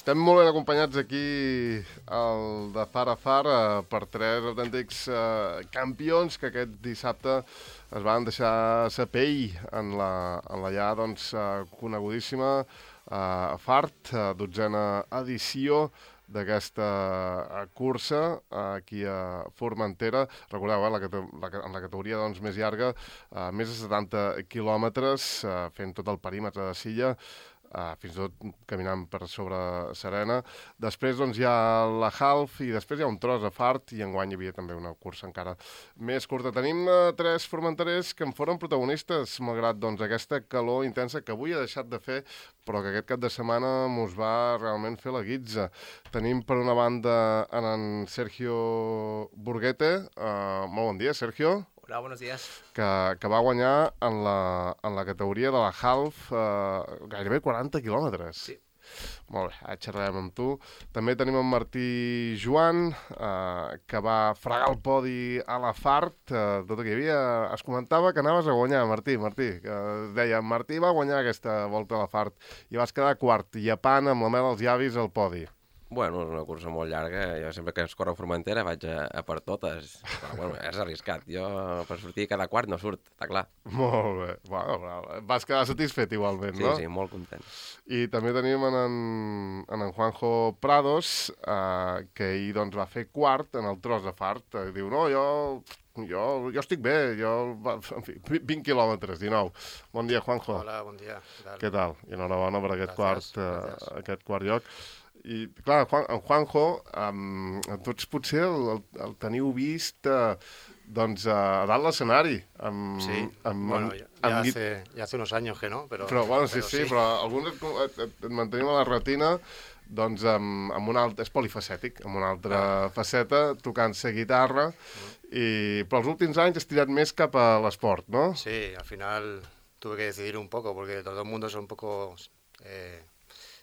Estem molt ben acompanyats aquí al de Far a Far per tres autèntics campions que aquest dissabte es van deixar sa pell en la ja conegudíssima Fart, 12a edició d'aquesta cursa aquí a Formentera. Recordeu, en la categoria més llarga, més de 70 quilòmetres, fent tot el perímetre de Silla, fins i tot caminant per sobre Serena. Després hi ha la Half i després hi ha un tros a Fart i enguany hi havia també una cursa encara més curta. Tenim tres formenterers que en foren protagonistes malgrat aquesta calor intensa que avui ha deixat de fer però que aquest cap de setmana mos va realment fer la guitza. Tenim per una banda en Sergio Burguete. Molt bon dia, Sergio. Hola, buenos días. Que va guanyar en la categoria de la Half gairebé 40 quilòmetres. Sí. Molt bé, ara xerrarem amb tu. També tenim en Martí Joan, que va fregar el podi a la Fart. Tot el que hi havia, es comentava que anaves a guanyar, Martí, que es deia, Martí va guanyar aquesta volta a la Fart i vas quedar quart, llepant amb la mel als llavis al podi. Bueno, és una cursa molt llarga. Jo sempre que es corre a Formentera vaig a per totes. Però, bueno, és arriscat. Jo per sortir cada quart no surt, està clar. Molt bé. Bueno, vas quedar satisfet igualment, no? Sí, molt content. I també tenim en Juanjo Prados, que ell va fer quart en el tros de Fart. Diu, no, jo estic bé, en fi, 20 quilòmetres, 19. Bon dia, Juanjo. Hola, bon dia. Què tal? I enhorabona per aquest Gràcies. quart lloc. I, clar, en Juanjo, tots potser el teniu vist a dalt l'escenari. Sí, bueno, ya hace unos años que no, però bueno, sí, però alguns et mantenim a la retina amb una altra, és polifacètic, amb una altra faceta, tocant-se guitarra, però els últims anys has tirat més cap a l'esport, no? Sí, al final tuve que decidir un poco, porque los dos mundos son un poco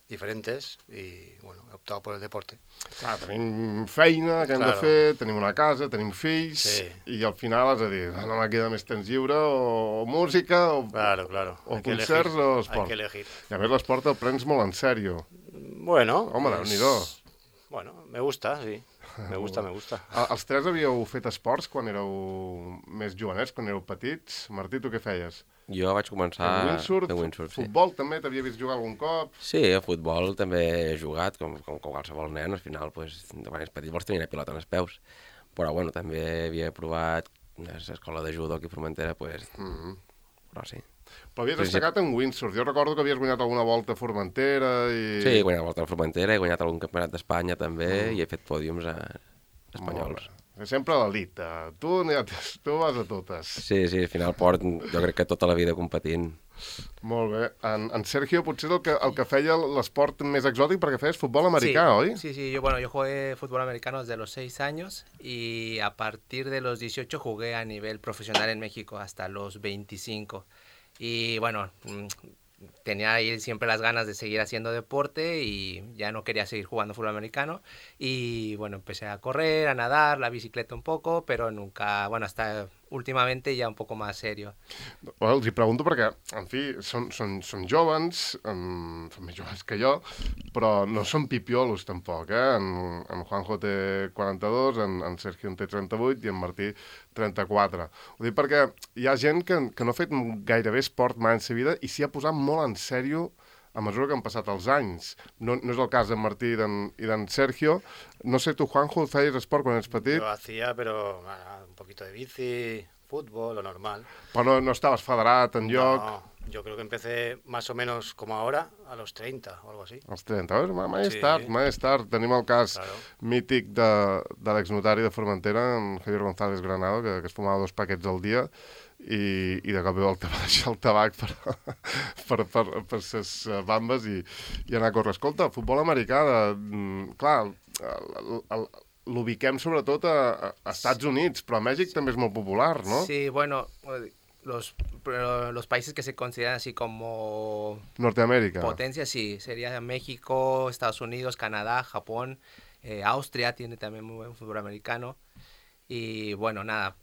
diferentes y, bueno, he optado por el deporte. Clar, tenim feina que hem de fer, tenim una casa, tenim fills, i al final has de dir, no me queda més temps lliure, o música, o concerts, o esport. Hay que elegir. I a més l'esport el prens molt en sèrio. Bueno. Home, Déu-n'hi-do. Bueno, me gusta, sí. Me gusta. Els tres havíeu fet esports quan éreu més jovenets, quan éreu petits? Martí, tu què feies? Jo vaig començar a fer windsurf, sí. Futbol també t'havia vist jugar algun cop? Sí, a futbol també he jugat, com qualsevol nen. Al final, quan és petit vols tenir una pilota en els peus. Però, bueno, també havia provat l'escola de judo aquí a Formentera, però sí. Però havies destacat en windsurf. Jo recordo que havies guanyat alguna volta a Formentera i... Sí, he guanyat la volta a Formentera, he guanyat algun campionat d'Espanya també i he fet pòdiums espanyols. Sempre a l'elit. Tu vas a totes. Sí, al final port jo crec que tota la vida competint. Molt bé. En Sergio potser el que feia l'esport més exòtic perquè feies futbol americà, sí, oi? Sí, yo jugué fútbol americano desde los 6 años y a partir de los 18 jugué a nivel profesional en México hasta los 25. Y bueno, tenía ahí siempre las ganas de seguir haciendo deporte y ya no quería seguir jugando fútbol americano. Y bueno, empecé a correr, a nadar, la bicicleta un poco, pero nunca, bueno, hasta últimamente ya un poco más serio. Bueno, els hi pregunto perquè, en fi, són jovens, són més jovens que jo, però no són pipiolos tampoc, eh? En Juanjo té 42, en Sergio en té 38 i en Martí 34. Ho dic perquè hi ha gent que no ha fet gairebé esport mai en sa vida i s'hi ha posat molt en sèrio a mesura que han passat els anys. No és el cas d'en Martí i d'en Sergio. No sé, tu, Juanjo, feies esport quan ets petit? Yo hacía, pero un poquito de bici, fútbol, lo normal. Però no estaves federat en lloc? No, yo creo que empecé más o menos como ahora, a los 30 o algo así. Als 30, mai és tard. Tenim el cas mític de l'exnotari de Formentera, en Javier González Granado, que es fumava 2 paquets al dia, i de cop va deixar el tabac per ses bambes i anar a córrer. Escolta, el futbol americà, clar, l'ubiquem sobretot a Estats Units, però a Mèxic també és molt popular, no? Sí, bueno, los países que se consideran así como Norteamérica. Potencia, sí, sería México, Estados Unidos, Canadá, Japón, Austria tiene también muy buen fútbol americano. Y bueno, nada,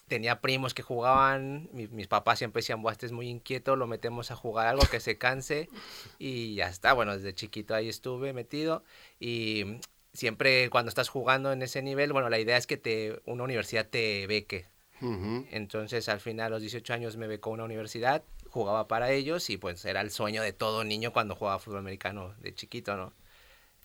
tenía primos que jugaban, mis papás siempre decían, Buah, este es muy inquieto, lo metemos a jugar algo que se canse y ya está. Bueno, desde chiquito ahí estuve metido y siempre cuando estás jugando en ese nivel, bueno, la idea es que una universidad te beque. Entonces al final a los 18 años me becó una universidad, jugaba para ellos y pues era el sueño de todo niño cuando jugaba fútbol americano de chiquito, ¿no?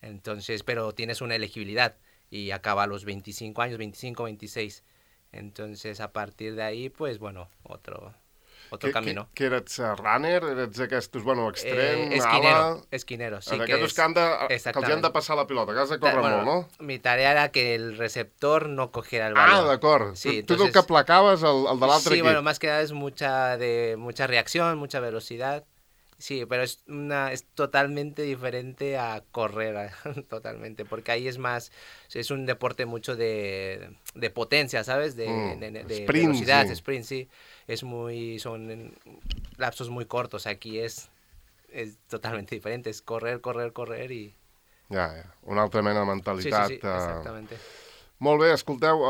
Entonces, pero tienes una elegibilidad y acaba a los 25 años, 25, 26. Entonces, a partir de ahí, pues bueno, otro camino. Que eres runner? Eres aquests, bueno, extrem, ala... Esquinero, sí. Aquests que els han de passar la pilota, que has de córrer molt, no? Mi tarea era que el receptor no cogiera el balón. Ah, d'acord. Sí, tu el que placaves el de l'altre equip. Sí, bueno, más que nada es mucha reacción, mucha velocidad. Sí, pero es totalmente diferente a correr, totalmente, porque ahí es un deporte mucho de potencia, ¿sabes? De sprint, velocidad, sí. Sprint, sí. Son lapsos muy cortos, aquí es totalmente diferente, es correr y... Ja, una altra mena de mentalitat. Sí, exactamente. Molt bé, escolteu,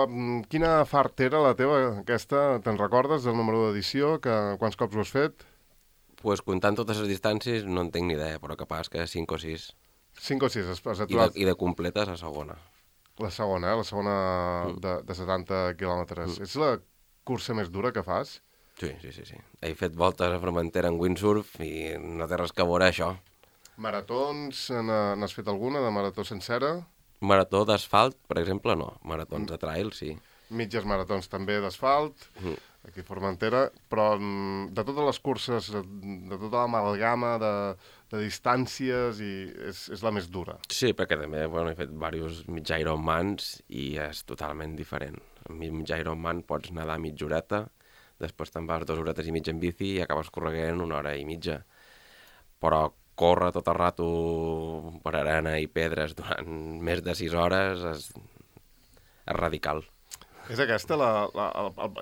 quina fart era la teva, aquesta? Te'n recordes del número d'edició? Quants cops ho has fet? Pues comptant totes les distàncies no en tinc ni idea, però capaz que 5 o 6. 5 o 6, has aturat. I de completes la segona. La segona, la segona de 70 quilòmetres. És la cursa més dura que fas? Sí. He fet voltes a Formentera en windsurf i no té res que veure això. Maratons, n'has fet alguna, de marató sencera? Marató d'asfalt, per exemple, no. Maratons de trail, sí. Mitges maratons també d'asfalt, aquí a Formentera, però de totes les curses, de tota l'amalgama de distàncies, és la més dura. Sí, perquè també he fet diversos mig Ironmans i és totalment diferent. En mig Ironman pots nedar mitja horeta, després te'n vas 2 horetes i mitja en bici i acabes correguent 1 hora i mitja. Però córrer tot el rato per arena i pedres durant més de 6 hores és radical. És aquesta,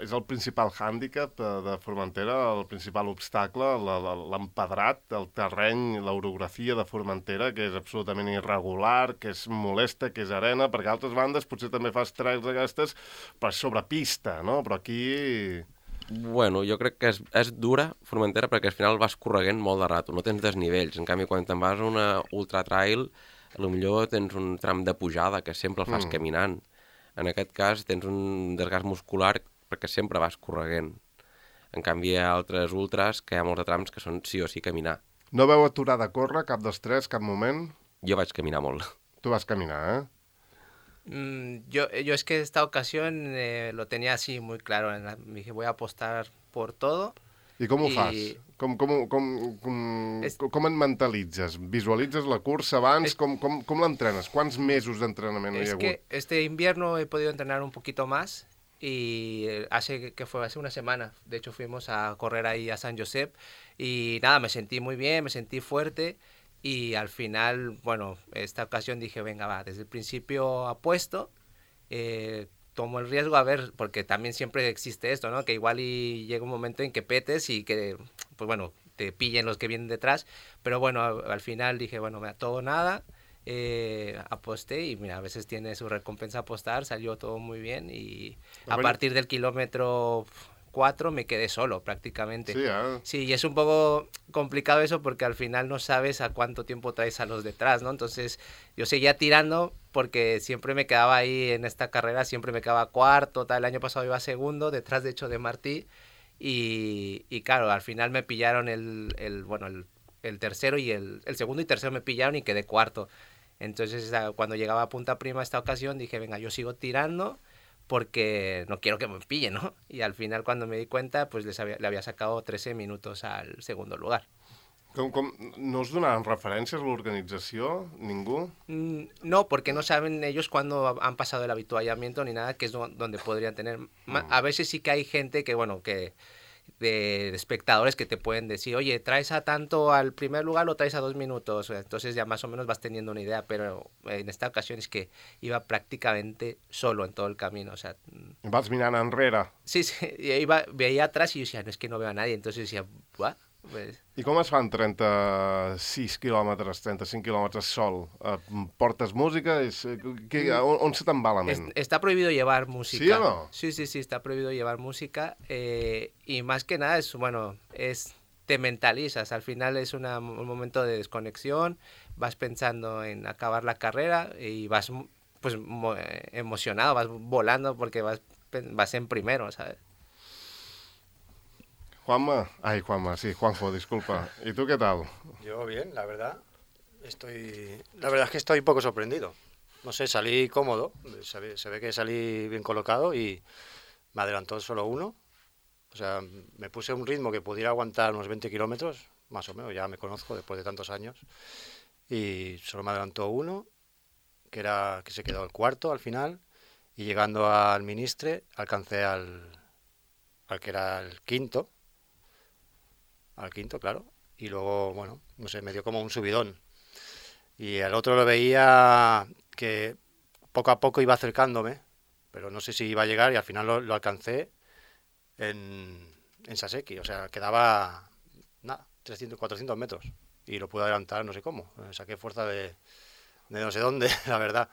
és el principal hàndicap de Formentera, el principal obstacle, l'empedrat, el terreny, l'orografia de Formentera, que és absolutament irregular, que és molesta, que és arena, perquè a altres bandes potser també fas trails d'aquestes, però és sobre pista, no? Però aquí... Bueno, jo crec que és dura Formentera perquè al final vas correguent molt de rato, no tens desnivells. En canvi, quan te'n vas a una ultra trail, potser tens un tram de pujada que sempre el fas caminant. En aquest cas tens un desgast muscular perquè sempre vas correguent. En canvi hi ha altres ultras que hi ha molts de trams que són sí o sí caminar. No veu aturar de córrer cap dels tres, cap moment? Jo vaig caminar molt. Tu vas caminar, eh? Yo es que esta ocasión lo tenía así muy claro. Me dije, voy a apostar por todo. I com ho fas? Com et mentalitzes? Visualitzes la cursa abans? Com l'entrenes? Quants mesos d'entrenament hi ha hagut? Es que este invierno he podido entrenar un poquito más y hace una semana. De hecho fuimos a correr ahí a San Josep y nada, me sentí muy bien, me sentí fuerte y al final, bueno, esta ocasión dije, venga, va, desde el principio apuesto, tomo el riesgo a ver, porque también siempre existe esto, ¿no? Que igual y llega un momento en que petes y que, pues bueno, te pillen los que vienen detrás, pero bueno, al final dije, bueno, todo o nada, aposté y mira, a veces tiene su recompensa apostar, salió todo muy bien y a partir del kilómetro 4 me quedé solo prácticamente. Sí, Sí, y es un poco complicado eso porque al final no sabes a cuánto tiempo traes a los detrás, ¿no? Entonces yo seguía tirando porque siempre me quedaba ahí en esta carrera, siempre me quedaba cuarto, el año pasado iba segundo, detrás de hecho de Martí y claro, al final me pillaron el tercero y el segundo y tercero me pillaron y quedé cuarto. Entonces cuando llegaba a Punta Prima esta ocasión dije, venga, yo sigo tirando porque no quiero que me pillen, ¿no? Y al final cuando me di cuenta, pues le había sacado 13 minutos al segundo lugar. No us donaran referències a l'organització? Ningú? No, porque no saben ellos cuándo han pasado el habituallamiento ni nada, que es donde podrían tener... A veces sí que hay gente que, bueno, que de espectadores que te pueden decir, oye, ¿traes a tanto al primer lugar o traes a 2 minutos? Entonces ya más o menos vas teniendo una idea, pero en esta ocasión es que iba prácticamente solo en todo el camino, o sea... Vas mirant enrere? Sí, veía atrás y yo decía, no, es que no veo a nadie, entonces decía, ¿what? Pues, I com es fan 36 quilòmetres, 35 quilòmetres sol? Portes música? On se te'n va la ment? está prohibido llevar música. ¿Sí o no? Sí, está prohibido llevar música. Y más que nada te mentalizas. Al final es un momento de desconexión. Vas pensando en acabar la carrera y vas pues emocionado, vas volando porque vas en primero, ¿sabes? Juanma, sí, Juanjo, disculpa. ¿Y tú qué tal? Yo bien, la verdad. La verdad es que estoy un poco sorprendido. No sé, salí cómodo. Se ve que salí bien colocado y me adelantó solo uno. O sea, me puse un ritmo que pudiera aguantar unos 20 kilómetros, más o menos, ya me conozco después de tantos años. Y solo me adelantó uno, que se quedó el cuarto al final. Y llegando al Ministre, alcancé al que era el quinto. Al quinto, claro, y luego, bueno, no sé, me dio como un subidón. Y al otro lo veía que poco a poco iba acercándome, pero no sé si iba a llegar y al final lo alcancé en Saseki, o sea, quedaba, nada, 300, 400 metros y lo pude adelantar no sé cómo, saqué fuerza de no sé dónde, la verdad.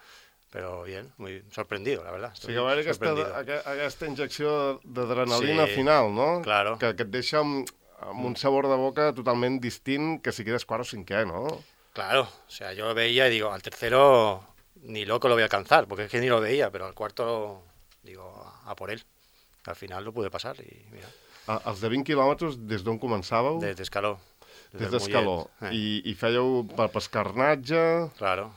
Però bien, muy sorprendido, la verdad. Sí, que va haver aquesta injecció d'adrenalina final, no? Claro. Que et deixa amb un sabor de boca totalment distint que si quedes quart o cinquè, ¿no? Claro, o sea, yo lo veía y digo, al tercero ni loco lo voy a alcanzar, porque es que ni lo veía, pero al cuarto, digo, a por él. Al final lo pude pasar y mira. Els de 20 quilòmetres, des d'on començàveu? Des d'Escaló. Des d'Escaló. I fèieu per Escarnatge? Claro.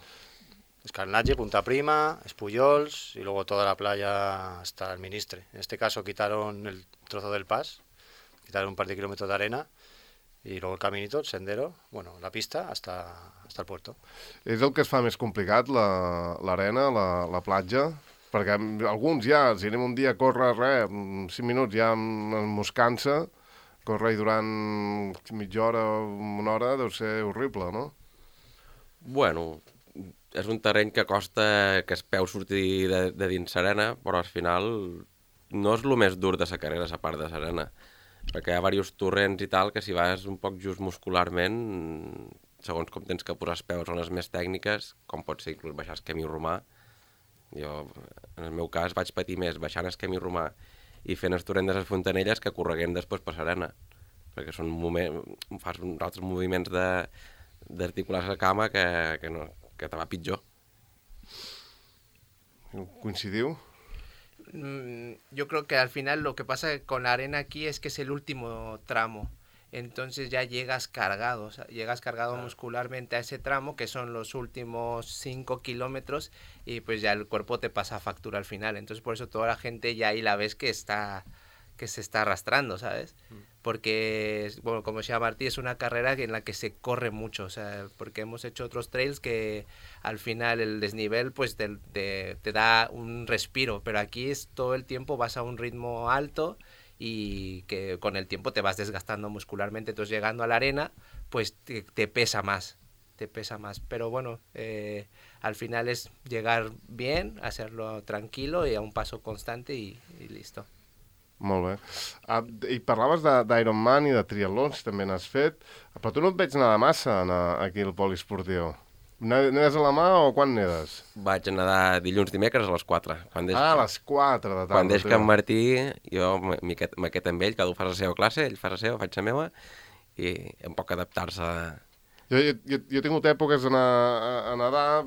Escarnatge, Punta Prima, Espullols y luego toda la playa hasta el Ministre. En este caso quitaron el trozo del pas, quitaron un par de kilómetros de arena y luego el caminito, el sendero, bueno, la pista hasta el puerto. És el que es fa més complicat, l'arena, la platja? Perquè alguns ja, si anem un dia a córrer 5 minuts ja ens cansa, córrer durant mitja hora o una hora deu ser horrible, no? Bueno, és un terreny que costa que es peu sortir de dins Serena, però al final no és el més dur de la carrera, la part de Serena, perquè hi ha diversos torrents i tal que si vas un poc just muscularment, segons com tens que posar els peus zones més tècniques, com pot ser inclús baixar el camí romà. Jo, en el meu cas, vaig patir més baixant el camí romà i fent el torrent de les Fontanelles que correguent després per Serena, perquè fas uns altres moviments d'articular la cama que te va pitjor. Coincidiu? Yo creo que al final lo que pasa con la arena aquí es que es el último tramo. Entonces ya llegas cargado, o sea, muscularmente a ese tramo, que son los últimos 5 kilómetros, y pues ya el cuerpo te pasa factura al final. Entonces por eso toda la gente ya ahí la ves que se está arrastrando, ¿sabes? Porque, bueno, como decía Martí, es una carrera en la que se corre mucho, o sea, porque hemos hecho otros trails que al final el desnivel pues te da un respiro, pero aquí es todo el tiempo vas a un ritmo alto y que con el tiempo te vas desgastando muscularmente, entonces llegando a la arena pues te pesa más, pero bueno, al final es llegar bien, hacerlo tranquilo y a un paso constante y listo. Molt bé. I parlaves d'Ironman i de triatlons, també n'has fet, però tu no et veig nedar massa aquí al poliesportiu. Nedes a la mà o quan nedes? Vaig a nedar dilluns, dimecres a les 4. A les 4 de tarda. Quan deixo que en Martí, jo m'aquest amb ell, cada un fa la seva classe, ell fa la seva, faig la meva, i em poc adaptar-se. Jo he tingut èpoques a nedar,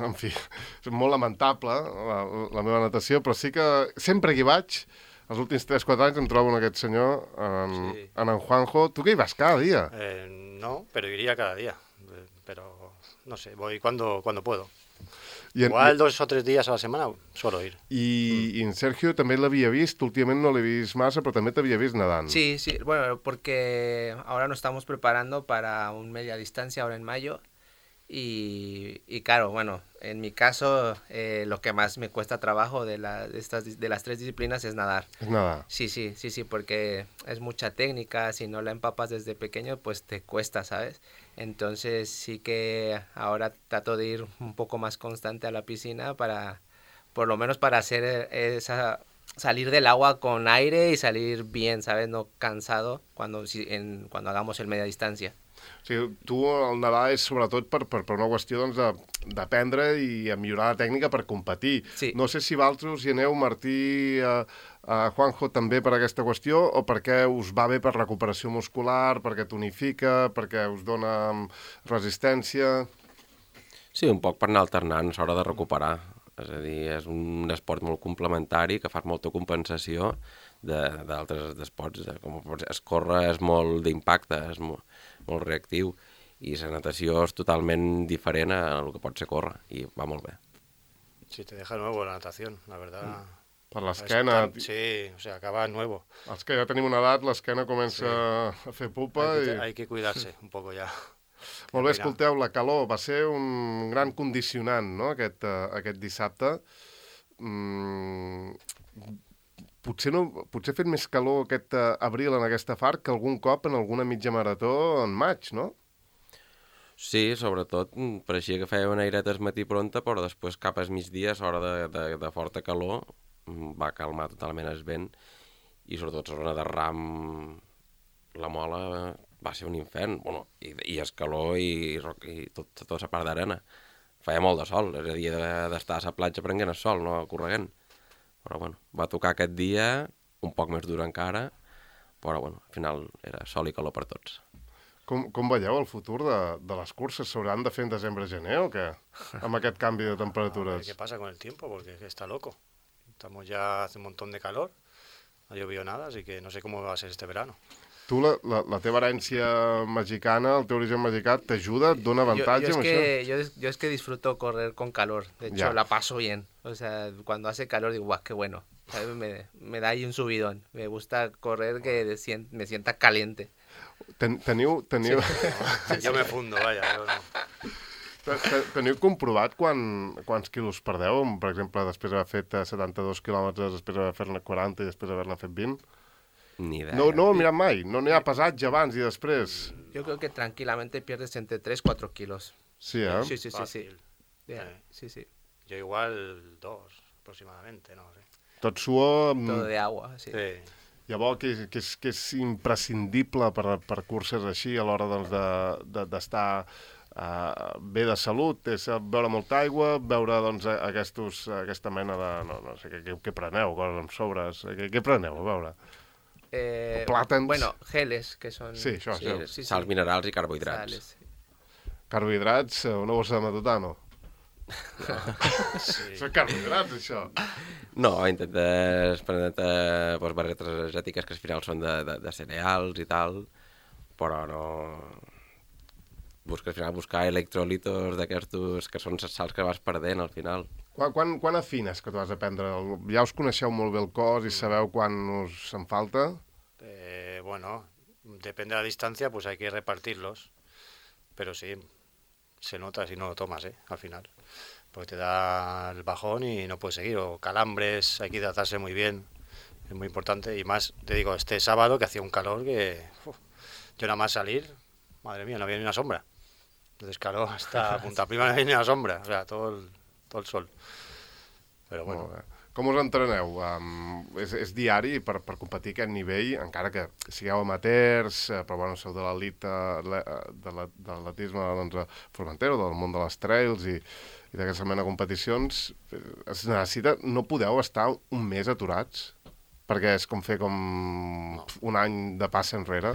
en fi, és molt lamentable la meva natació, però sí que sempre que hi vaig, els últims 3-4 anys em trobo en aquest senyor, en Juanjo. Tu que hi vas cada dia? No, pero iría cada día, pero no sé, voy cuando puedo. Igual 2 o 3 días a la semana suelo ir. I en Sergio també l'havia vist, últimament no l'he vist massa, però també t'havia vist nedant. Sí, bueno, porque ahora nos estamos preparando para un media distancia ahora en mayo y claro, bueno, en mi caso lo que más me cuesta trabajo de las 3 disciplinas es nadar. Es nadar. Sí, porque es mucha técnica, si no la empapas desde pequeño pues te cuesta, ¿sabes? Entonces sí que ahora trato de ir un poco más constante a la piscina por lo menos para hacer salir del agua con aire y salir bien, ¿sabes? No cansado cuando hagamos el media distancia. O sigui, tu el nedar és sobretot per una qüestió doncs, d'aprendre i a millorar la tècnica per competir. Sí. No sé si vosaltres hi aneu, Martí, Juanjo, també per aquesta qüestió, o perquè us va bé per recuperació muscular, perquè tonifica, perquè us dona resistència... Sí, un poc per anar alternant a l'hora de recuperar. És a dir, és un esport molt complementari que fa molta compensació d'altres esports. Com córrer és molt d'impacte, és molt reactiu, i la natació és totalment diferent a el que pot ser córrer, i va molt bé. Sí, te deja nuevo la natación, la verdad. Per l'esquena... Sí, o sea, acaba nuevo. Els que ja tenim una edat, l'esquena comença a fer pupa Hay que cuidarse un poco ya. Molt bé, escolteu, la calor va ser un gran condicionant, no?, aquest dissabte. Potser ha fet més calor aquest abril en aquesta far que algun cop en alguna mitja marató en maig, no? Sí, sobretot pareixia que feia una aireta al matí pronta, però després cap al migdia, a l'hora de forta calor, va calmar totalment el vent, i sobretot la zona de Ram, la Mola, va ser un infern, bueno, i el calor i tota la part d'arena. Feia molt de sol, és a dir, d'estar a la platja prenent el sol, no corregent. Però bueno, va tocar aquest dia, un poc més dur encara, però bueno, al final era sol i calor per tots. Com veieu el futur de les curses? S'hauran de fer en desembre-gener o què? Amb aquest canvi de temperatures. A ver qué pasa con el tiempo, porque está loco. Estamos ya hace un montón de calor, no ha llovido nada, así que no sé cómo va a ser este verano. Tu, la teva herència mexicana, el teu origen mexicà, t'ajuda, et dona avantatge amb això? Yo es que disfruto correr con calor, de hecho la paso bien. O sea, cuando hace calor digo, guau, qué bueno. Me da ahí un subidón. Me gusta correr que me sienta caliente. Teniu... Yo me fundo, vaya. Yo no. Teniu comprovat quants quilos perdeu? Per exemple, després d'haver fet 72 quilòmetres, després d'haver fet 40 i després d'haver-ne fet 20? Ni idea. No ho he mirat mai. No n'hi ha pesatge abans i després. Yo creo que tranquilamente pierdes entre 3-4 kilos. Sí, eh? Sí. Fácil. Sí. Yo igual 2 aproximadamente, no sé. Tot suor... Todo de agua, sí. Sí. Llavors, que és imprescindible per curses així a l'hora doncs, d'estar bé de salut, és beure molta aigua, beure doncs, aquesta mena de... No sé, què preneu? Coses amb sobres? Què preneu, a veure? Plàtans? Bueno, geles, que són... Sí, això. Sí, sals minerals i carbohidrats. Sales. Carbohidrats, una bossa de matutano. Sí. Són carbohidrats, això. No, intentes prendre barretes energètiques que al final són de cereals i tal, però no... Al final buscar electrolitos d'aquestos que són les sals que vas perdent al final. Quan afines que tu has de prendre? Ja us coneixeu molt bé el cos i sabeu quan us en falta? Bueno, depende de la distancia, pues hay que repartirlos. Pero sí, se nota si no lo tomas, al final. Porque te da el bajón y no puedes seguir. O calambres, hay que hidratarse muy bien. Es muy importante. Y más, te digo, este sábado que hacía un calor que... yo nada más salir, madre mía, no había ni una sombra. Entonces, claro, hasta Punta Prima no había ni una sombra. O sea, todo el sol. Pero bueno. Com us entreneu? És diari per competir a aquest nivell, encara que sigueu amateurs, però bueno, sou de l'elit de l'atletisme doncs, Formentera, del món de les trails i d'aquesta mena de competicions. Es necessita... No podeu estar un mes aturats? Perquè és com fer un any de passa enrere?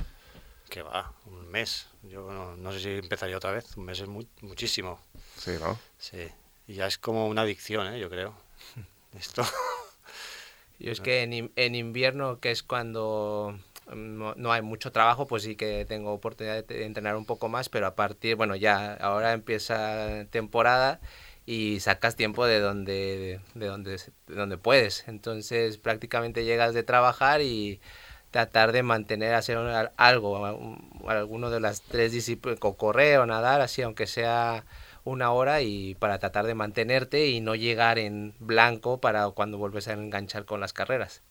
Que va, un mes. Yo no sé si empezaría otra vez. Un mes es muchísimo. Sí, ¿no? Sí. Y ya es como una adicción, yo creo. Esto. Yo es que en invierno, que es cuando no hay mucho trabajo, pues sí que tengo oportunidad de entrenar un poco más, pero a partir, bueno, ya ahora empieza temporada y sacas tiempo de donde puedes. Entonces prácticamente llegas de trabajar y tratar de mantener, hacer alguno de las 3 disciplinas, correr o nadar, así aunque sea 1 hora, y para tratar de mantenerte y no llegar en blanco para cuando vuelves a enganchar con las carreras.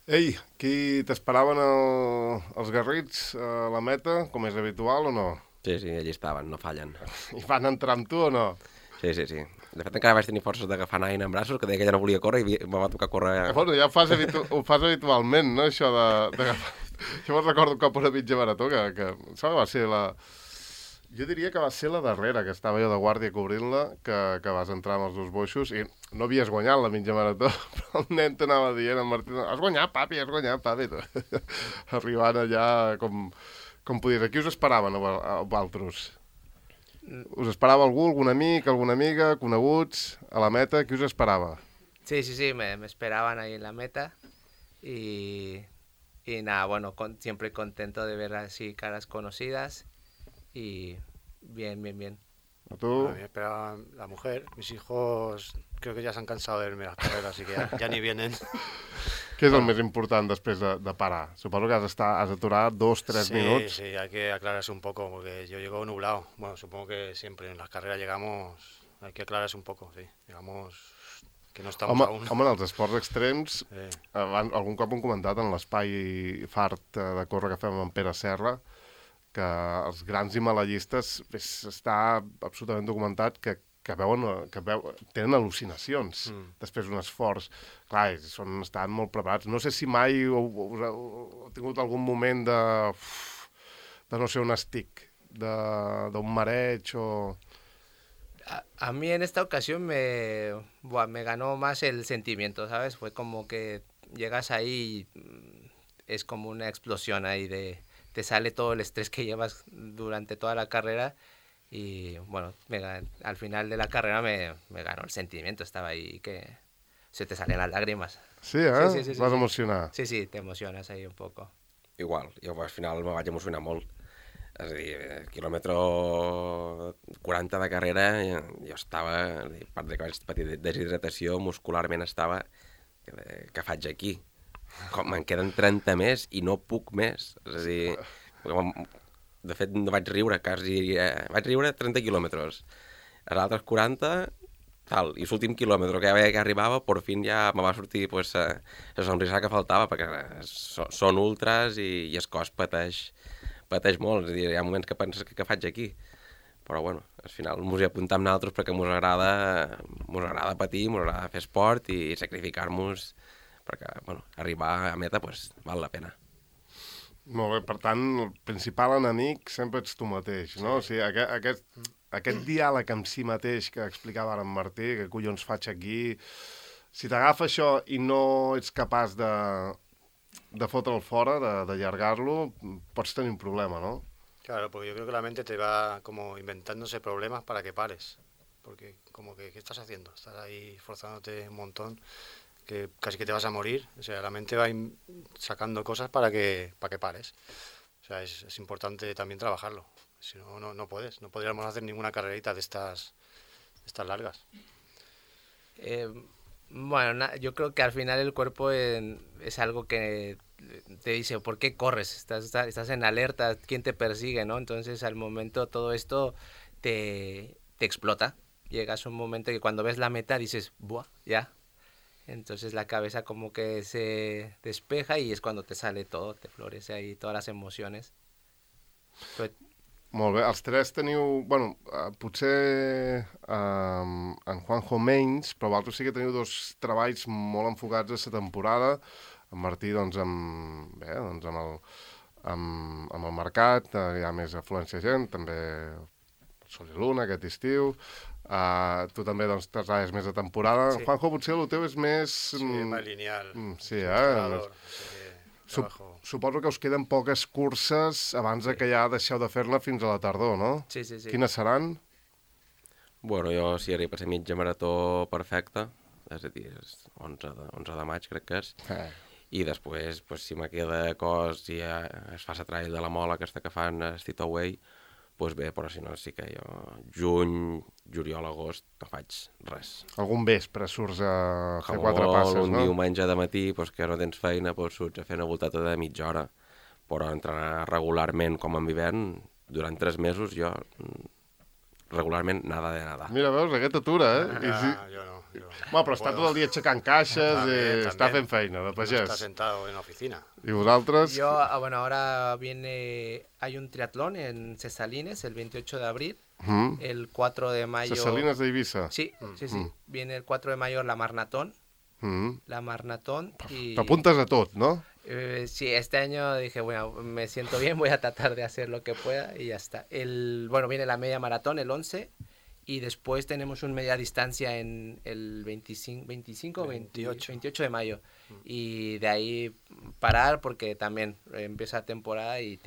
Ei, aquí t'esperaven els Garrits a la meta, com és habitual o no? Sí, allí estaven, no fallen. I van entrar amb tu o no? Sí. De fet, encara vaig tenir forces d'agafar Naina en braços, que deia que ja no volia córrer i me va tocar córrer... Bueno, ja ho fas habitualment, no, això d'agafar... Jo me'n recordo un cop una mitja marató que em sembla que va ser la... Jo diria que va ser la darrera, que estava jo de guàrdia cobrint-la, que vas entrar amb els dos boixos i no havies guanyat la mitja marató, però el nen t'anava dient, en Martí, has guanyat, papi. Arribant allà com podies. Aquí us esperaven a vosaltres? Us esperava algú, algun amic, alguna amiga, coneguts, a la meta? Qui us esperava? Sí, me esperaban ahí en la meta y nada, bueno, siempre contento de ver así caras conocidas y bien. ¿A tú? A mí me esperaba la mujer, mis hijos creo que ya se han cansado de verme las carreras, así que ya ni vienen. Què és el més important després de parar? Suposo que has aturar 2-3 minuts. Sí, hay que aclararse un poco, porque yo llego nublado. Bueno, supongo que siempre en las carreras llegamos, hay que aclararse un poco, sí. Llegamos que no estamos aún. Home, en els esports extrems, algun cop hem comentat en l'espai fart de córrer que fem amb Pere Serra, que els grans himalayistes està absolutament documentat que tenen al·lucinacions després d'un esforç. Clar, estan molt preparats. No sé si mai heu tingut algun moment de no sé, un estic, d'un mareig o... A mí en esta ocasión me ganó más el sentimiento, ¿sabes? Fue como que llegas ahí y es como una explosión ahí te sale todo el estrés que llevas durante toda la carrera y bueno, al final de la carrera me ganó el sentimiento, estaba ahí que se te salen las lágrimas. Sí, Sí. Vas emocionar. Sí, te emocionas ahí un poco. Igual, jo al final me vaig emocionar molt. És a dir, quilòmetre 40 de carrera, jo estava, a part de que vaig patir deshidratació, muscularment estava, que faig aquí? Com, me'n queden 30 més i no puc més. És a dir, de fet no vaig riure quasi, vaig riure 30 quilòmetres. Els altres 40, tal, i l'últim quilòmetre que ja veia que arribava, per fi ja me va sortir pues, la sonrisa que faltava, perquè són ultras i el cos pateix molt. És a dir, hi ha moments que penses que faig aquí. Però bueno, al final mos hi apuntem nosaltres perquè mos agrada patir, mos agrada fer esport i sacrificar-nos perquè, bueno, arribar a meta pues, val la pena. Molt bé, per tant, el principal enemic sempre ets tu mateix, no? Sí. O sigui, aquest diàleg amb si mateix que explicava ara en Martí, que collons faig aquí, si t'agafa això i no ets capaç de fotre'l fora, d'allargar-lo, pots tenir un problema, ¿no? Claro, porque yo creo que la mente te va como inventándose problemas para que pares. Porque como que, ¿qué estás haciendo? Estás ahí forzándote un montón, que casi que te vas a morir. O sea, la mente va sacando cosas para que pares. O sea, es importante también trabajarlo. Si no, no puedes. No podríamos hacer ninguna carrerita de estas largas. Bueno, yo creo que al final el cuerpo es algo que te dice, ¿por qué corres? Estás en alerta, ¿quién te persigue, no? Entonces, al momento todo esto te explota. Llegas a un momento que cuando ves la meta dices, ¡buah! Ya. Entonces la cabeza como que se despeja y es cuando te sale todo, te florece ahí todas las emociones. Però... Molt bé, els tres teniu... Bueno, potser en Juanjo menys, però vosaltres sí que teniu dos treballs molt enfocats a la temporada. En Martí, doncs, amb el mercat, hi ha més afluència de gent, també Sol i Luna aquest estiu. Tu també, doncs, treballes més de temporada. Sí. Juanjo, potser el teu és més... Sí, més lineal. Sí, Suposo que us queden poques curses abans que ja deixeu de fer-la fins a la tardor, no? Sí. Quines seran? Bueno, jo si arriba a ser mitja marató perfecta, és a dir, 11 de maig crec que és, i després, pues, si me queda cos i es fa la trail de la Mola aquesta que fan a Stitoway, doncs bé, però si no sí que jo juny, juliol, agost no faig res. Algun vespre surts a fer 4 passes, no? Un diumenge de matí, doncs, que no tens feina, doncs surts a fer una voltata de mitja hora, però entrenar regularment com en hivern, durant 3 mesos jo regularment nada de nada. Mira, veus, aquest atura, I sí. Yo no. Bueno, però està tot el dia aixecant caixes i està fent feina de No pagès. está sentado en la oficina. I vosaltres? Yo, bueno, ahora hay un triatlón en Cesalines el 28 de abril, el 4 de mayo... Cesalines d'Eivissa? Sí. Viene el 4 de mayo la Marnatón. La Marnatón y... T'apuntes a tot, no? Sí, este año dije, bueno, me siento bien, voy a tratar de hacer lo que pueda y ya está. Bueno, viene la media maratón el 11 y después tenemos un media distancia en el 28 de mayo. Y de ahí parar porque también empieza temporada y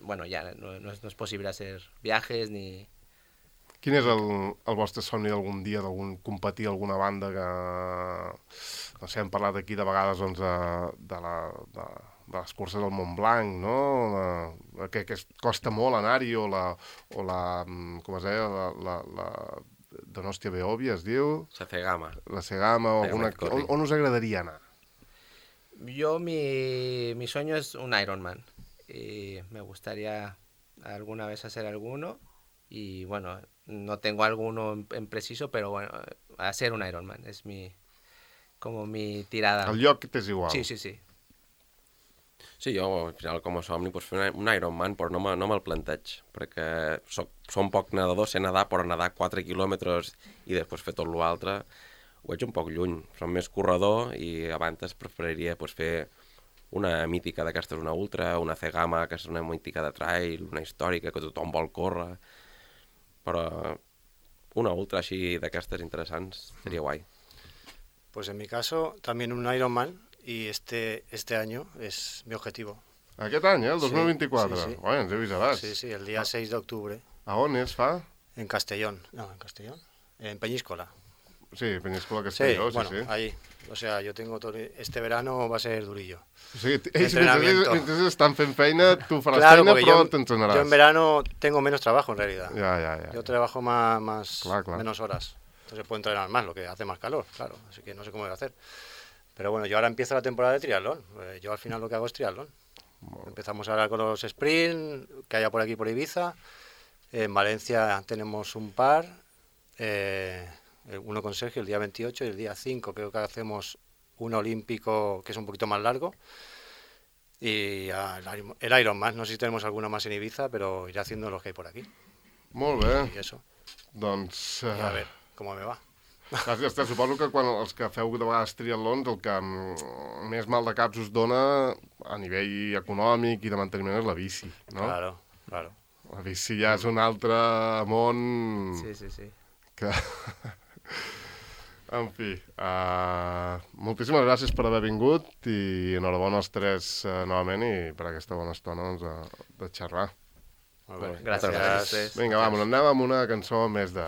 bueno, ya no es posible hacer viajes ni... Quin és el vostre somni d'algun dia, competir alguna banda que... No sé, hem parlat aquí de vegades doncs, de les curses del Mont Blanc, no? Que costa molt anar-hi, o la com es deia, la Donostia Beòvia, es diu? La Cegama. La Cegama, o alguna... On us agradaria anar? Yo, mi sueño es un Ironman. Y me gustaría alguna vez hacer alguno. Y bueno, no tengo alguno en preciso, pero bueno, hacer un Ironman es como mi tirada. El lloc t'és igual? Sí. Sí, jo al final com a somni pues, fer un Ironman, però no me'l planteig, perquè som poc nedador, sé nedar, però nedar 4 quilòmetres i després fer tot l'altre ho veig un poc lluny. Som més corredor i abans preferiria pues, fer una mítica d'aquestes, una ultra, una Cegama, que és una mítica de trail, una històrica que tothom vol córrer, però una ultra així d'aquestes interessants seria guai. Pues en mi caso, también un Ironman, y este año es mi objetivo. Aquest any, el 2024? Sí. Oi, ens heu vist abans. Sí, el día 6 de octubre. A on es fa? En Castellón. No, en Castellón. En Peñíscola. Sí, Peníscola Castelló, bueno, sí. ahí. O sea, yo tengo todo... Este verano va a ser durillo. O sigui, ells Entrenamiento. mentre estan fent feina, tu faràs Claro, feina, porque però t'entrenaràs. yo en verano tengo menos trabajo, en realidad. Ya. Yo trabajo más Claro. menos horas. Entonces puedo entrenar más, lo que hace más calor, claro. Así que no sé cómo voy a hacer. Pero bueno, yo ahora empiezo la temporada de triatlón. Yo al final lo que hago es triatlón. Empezamos ahora con los sprint que haya por aquí por Ibiza. En Valencia tenemos un par. Uno con Sergio el día 28 y el día 5 creo que hacemos un olímpico que es un poquito más largo. Y el Ironman, no sé si tenemos alguna más en Ibiza, pero iré haciendo los que hay por aquí. Molt bé. Y eso. Doncs... Y a ver cómo me va. Suposo que quan els que feu de vegades triatlons el que més mal de caps us dona a nivell econòmic i de manteniment és la bici, no? Claro. La bici ja és un altre món... Sí. Que... En fi, moltíssimes gràcies per haver vingut i enhorabona als tres novament i per aquesta bona estona de xerrar. Molt bé. Gràcies. Vinga, va, anem amb una cançó més de